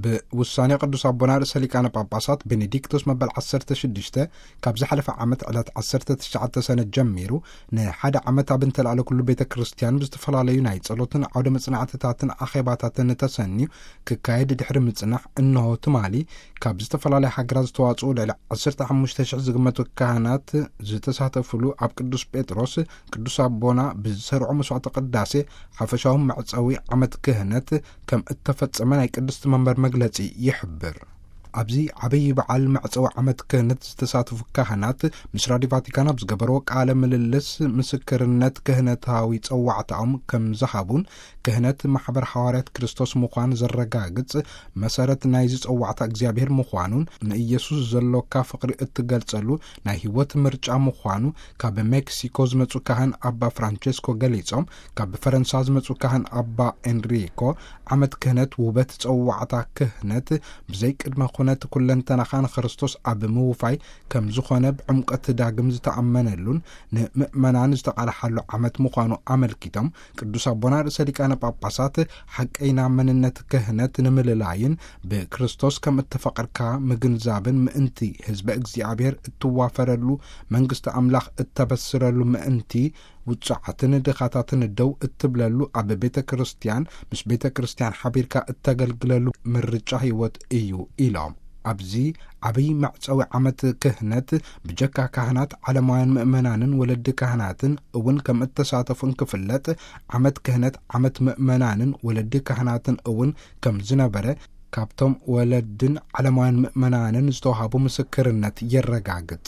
ብውሳኔ ቅዱስ ኣቦና ርእሰ ሊቃነ ጳጳሳት ቤኔዲክቶስ መበል ዓሰርተ ሽዱሽተ፣ ካብ ዝሓለፈ ዓመት ዕለት ዓሰርተ ትሽዓተ ሰነ ጀሚሩ ንሓደ ዓመት ኣብ እንተላዕለ ኩሉ ቤተ ክርስቲያን ብዝተፈላለዩ ናይ ጸሎትን ዓውደ መጽናዕትታትን ኣኼባታትን ተሰንዩ ክካየድ ድሕሪ ምጽናሕ፣ እንሆ ትማሊ ካብ ዝተፈላለያ ሃገራት ዝተዋጽኡ ልዕሊ ዓሰርተ ሓሙሽተ ሽሕ ዝግመቱ ካህናት ዝተሳተፉሉ ኣብ ቅዱስ ጴጥሮስ ቅዱስ ኣቦና ብዝሰርዑ መስዋዕተ ቅዳሴ ሓፈሻዊ መዕጸዊ ዓመት ክህነት ከም እተፈጸመ ናይ ቅድስቲ መንበር መግለጺ ይሕብር። ኣብዚ ዓብዪ በዓል መዕጸዊ ዓመት ክህነት ዝተሳተፉ ካህናት ምስ ራዲዮ ቫቲካን ኣብ ዝገበርዎ ቃለ ምልልስ፣ ምስክርነት ክህነታዊ ጸዋዕታኦም ከም ዝሃቡን፣ ክህነት ማሕበር ሃዋርያት ክርስቶስ ምዃን ዘረጋግጽ መሰረት ናይዚ ጸዋዕታ እግዚኣብሔር ምዃኑን፣ ንኢየሱስ ዘሎካ ፍቕሪ እትገልጸሉ ናይ ህይወት ምርጫ ምዃኑ ካብ ሜክሲኮ ዝመጹ ካህን ኣባ ፍራንቸስኮ ገሊጾም፣ ካብ ፈረንሳ ዝመጹ ካህን ኣባ ኤንሪኮ፣ ዓመት ክህነት ውበት ጸዋዕታ ክህነት ብዘይ ቅድመ ኩነት ኩለንተናኻ ንክርስቶስ ኣብ ምውፋይ ከም ዝኾነ ብዕምቀት ዳግም ዝተኣመነሉን ንምእመናን ዝተቓልሓሉ ዓመት ምዃኑ ኣመልኪቶም፣ ቅዱስ ኣቦና ርእሰ ሊቃነ ጳጳሳት ሓቀይና መንነት ክህነት ንምልላይን ብክርስቶስ ከም እተፈቐርካ ምግንዛብን ምእንቲ ህዝበ እግዚኣብሔር እትዋፈረሉ፣ መንግስቲ ኣምላኽ እተበስረሉ ምእንቲ ውጹዓትን ድኻታትን ደው እትብለሉ፣ ኣብ ቤተ ክርስቲያን ምስ ቤተ ክርስቲያን ሓቢርካ እተገልግለሉ ምርጫ ህይወት እዩ ኢሎም። ኣብዚ ዓብዪ መዕጸዊ ዓመት ክህነት ብጀካ ካህናት ዓለማውያን ምእመናንን ወለዲ ካህናትን እውን ከም እተሳተፉ እንክፍለጥ፣ ዓመት ክህነት ዓመት ምእመናንን ወለዲ ካህናትን እውን ከም ዝነበረ ካብቶም ወለድን ዓለማውያን ምእመናንን ዝተዋሃቡ ምስክርነት የረጋግጽ።